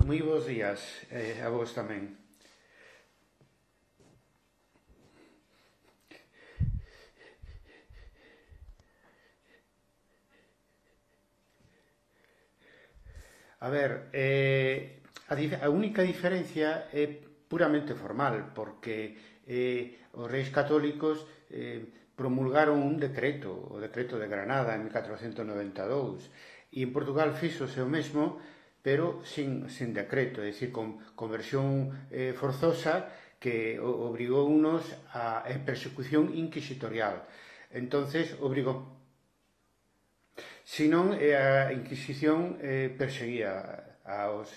Moi bons días, a vos tamén. A ver, a única diferencia é puramente formal, porque os reis católicos promulgaron un decreto, o decreto de Granada en 1492, e en Portugal fíxose o mesmo, pero sin decreto, é dicir, con versión forzosa que obrigou unos a persecución inquisitorial. Entonces, obrigou. Senón, a Inquisición perseguía aos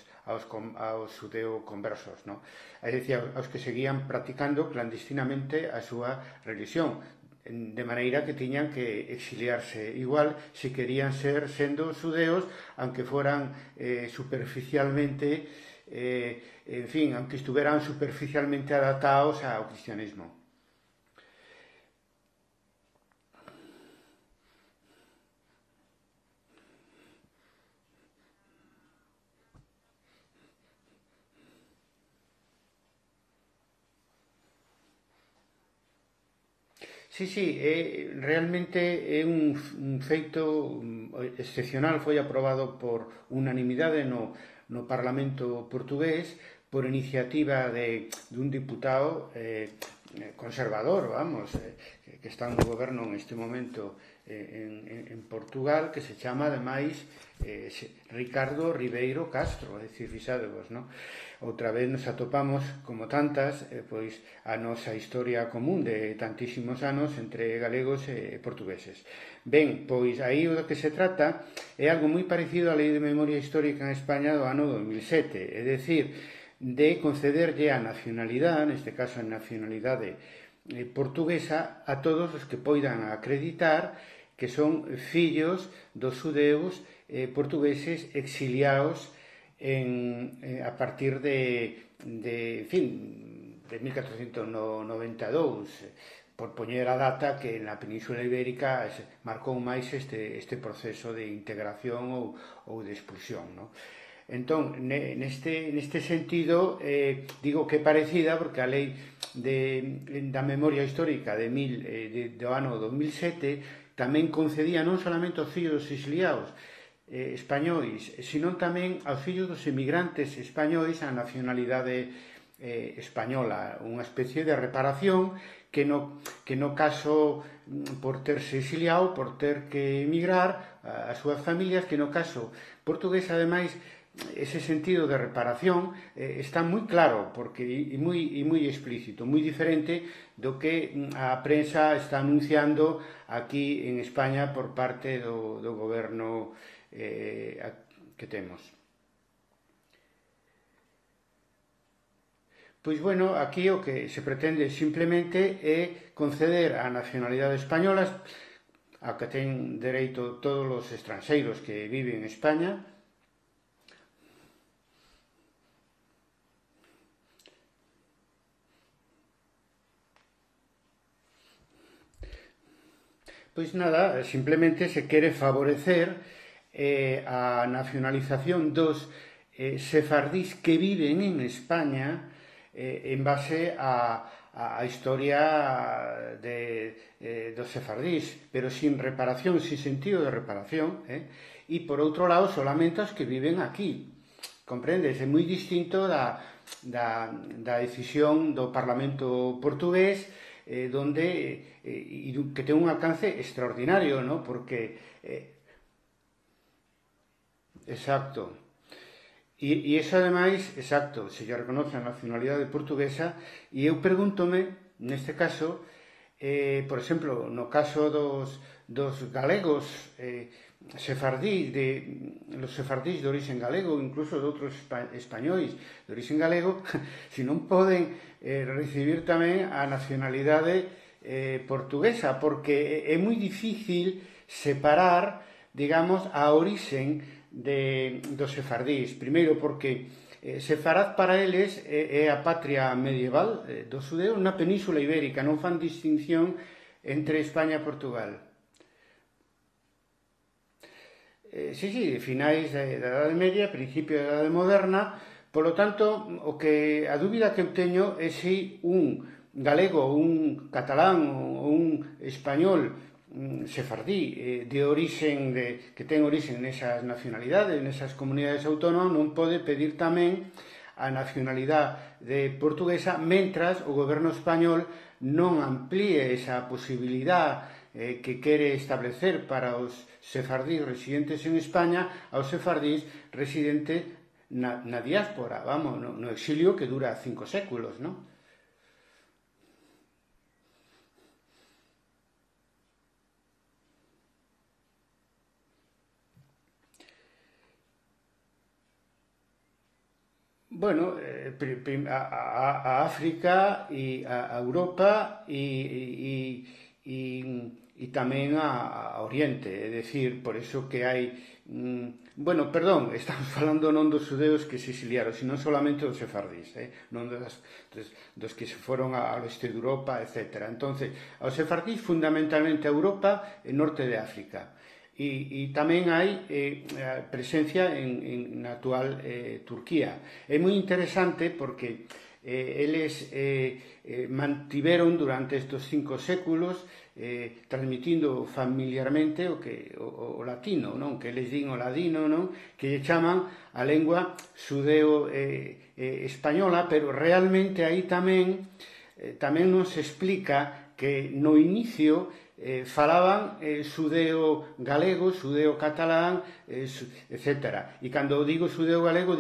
xudeo-conversos, non? É dicir, aos que seguían practicando clandestinamente a súa religión, de maneira que tiñan que exiliarse igual se querían ser sendo xudeos, aunque foran superficialmente, en fin, aunque estuveran superficialmente adaptados ao cristianismo. Sí, realmente é un feito excepcional, foi aprobado por unanimidade no Parlamento portugués por iniciativa dun diputado conservador, vamos, que está no goberno neste momento en Portugal, que se chama, ademais, Ricardo Ribeiro Castro, é dicir, fixadevos, non? Outra vez nos atopamos, como tantas, pois a nosa historia común de tantísimos anos entre galegos e portugueses. Ben, pois aí o que se trata é algo moi parecido á Lei de Memoria Histórica en España do ano 2007, é dicir, de concederlle a nacionalidade, neste caso a nacionalidade portuguesa, a todos os que poidan acreditar que son fillos dos xudeus portugueses exiliados a partir de 1492, por poñer a data que na Península Ibérica marcou máis este proceso de integración ou de expulsión, non? Entón, neste sentido, digo que é parecida porque a lei da memoria histórica do ano 2007 tamén concedía non solamente aos fillos dos exiliados españois, senón tamén aos fillos dos emigrantes españois a nacionalidade española, unha especie de reparación que no caso por terse exiliado, por ter que emigrar as súas familias, que no caso portugués, ademais, ese sentido de reparación está moi claro porque e moi explícito, moi diferente do que a prensa está anunciando aquí en España por parte do goberno que temos. Pois, bueno, aquí o que se pretende simplemente é conceder a nacionalidade española a que ten dereito todos os estranxeiros que viven en España. Pois nada, simplemente se quere favorecer a nacionalización dos sefardís que viven en España en base a historia dos sefardís, pero sin reparación, sin sentido de reparación, e por outro lado solamente os que viven aquí. Comprendes? É moi distinto da decisión do Parlamento portugués, donde que ten un alcance extraordinario, ¿no? Porque exacto. E iso, ademais, exacto, se lle reconoce a nacionalidade portuguesa, e eu pregúntome, neste caso, por exemplo, no caso dos galegos sefardís, los sefardís de origen galego, incluso de outros españois de origen galego, se non poden recibir tamén a nacionalidade portuguesa, porque é moi difícil separar, digamos, a orixen dos sefardís. Primeiro porque Sefarad para eles é a patria medieval dos xudeus na Península Ibérica, non fan distinción entre España e Portugal. Sí, finais da Edade Media, principio da Edade Moderna, Polo tanto, a dúbida que eu teño é se un galego, un catalán ou un español sefardí que ten orixen nesas nacionalidades, nesas comunidades autónomas, non pode pedir tamén a nacionalidade portuguesa, mentras o goberno español non amplíe esa posibilidade que quere establecer para os sefardís residentes en España aos sefardís residentes na diáspora, vamos, no exilio que dura 5 séculos, non? Bueno, a África e a Europa e tamén a Oriente, é dicir, por iso que hai bueno, perdón, estamos falando non dos xudeus que se exiliaron, sino solamente dos sefardís, non dos que se foron ao leste de Europa, etc. Entonces, os sefardís fundamentalmente a Europa e norte de África. E tamén hai presencia na actual Turquía. É moi interesante porque eles mantiveron durante estes 5 séculos transmitindo familiarmente o latino, non? Que eles din o ladino, non? Que lle chaman a lengua xudeo española, pero realmente aí tamén nos explica que no inicio falaban xudeo galego, xudeo catalán, etc. E cando digo xudeo galego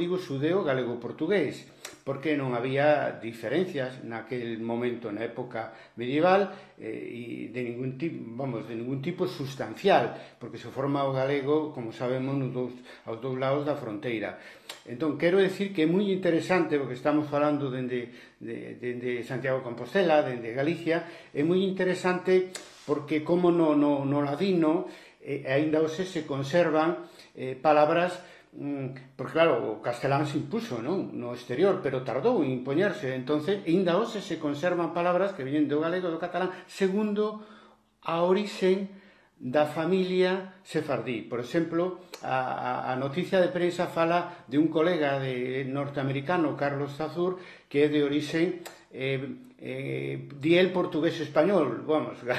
portugués, porque non había diferencias naquel momento, na época medieval, e de ningún tipo sustancial, porque se forma o galego, como sabemos, aos dous lados da fronteira. Entón, quero decir que é moi interesante, porque estamos falando dende Santiago de Compostela, dende Galicia, é moi interesante porque como no ladino aínda hoxe se conservan palabras, porque claro, o castelán se impuso, non? No exterior, pero tardou en impoñerse, entonces aínda hoxe se conservan palabras que veñen do galego e do catalán segundo a orixen da familia sefardí. Por exemplo, a noticia de prensa fala de un colega norteamericano, Carlos Zazur, que é de orixen di el portugués español, vamos, de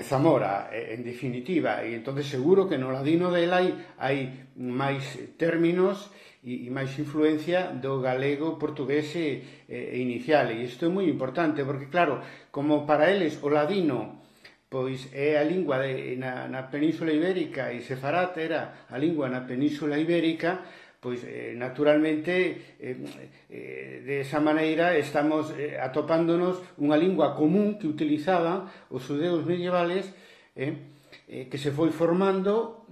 Zamora, en definitiva, e entonces seguro que no ladino del hai máis términos e máis influencia do galego portugués inicial, e isto é moi importante, porque claro, como para eles o ladino pois é a lingua na Península Ibérica e sefarát era a lingua na Península Ibérica, pois naturalmente de esa maneira estamos atopándonos unha lingua común que utilizaban os xudeus medievales que se foi formando,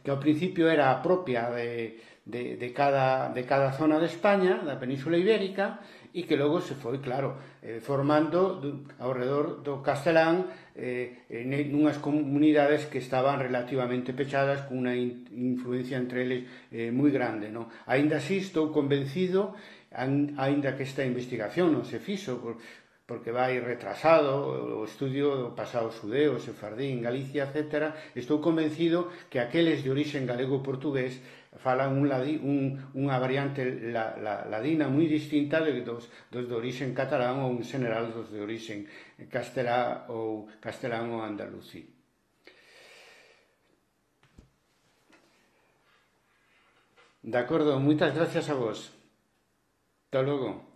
que ao principio era a propia de cada zona de España, da Península Ibérica, e que logo se foi, claro, formando ao redor do castelán nunhas comunidades que estaban relativamente pechadas con unha influencia entre eles moi grande, non? Aínda así estou convencido, aínda que esta investigación non se fixo porque vai retrasado o estudio do pasado xudeo, sefardí en Galicia, etc. Estou convencido que aqueles de orixen galego-portugués falan unha variante ladina moi distinta dos de orixen catalán ou en general dos de orixen castelán ou andalusí. De acordo, moitas gracias a vos. Hasta logo.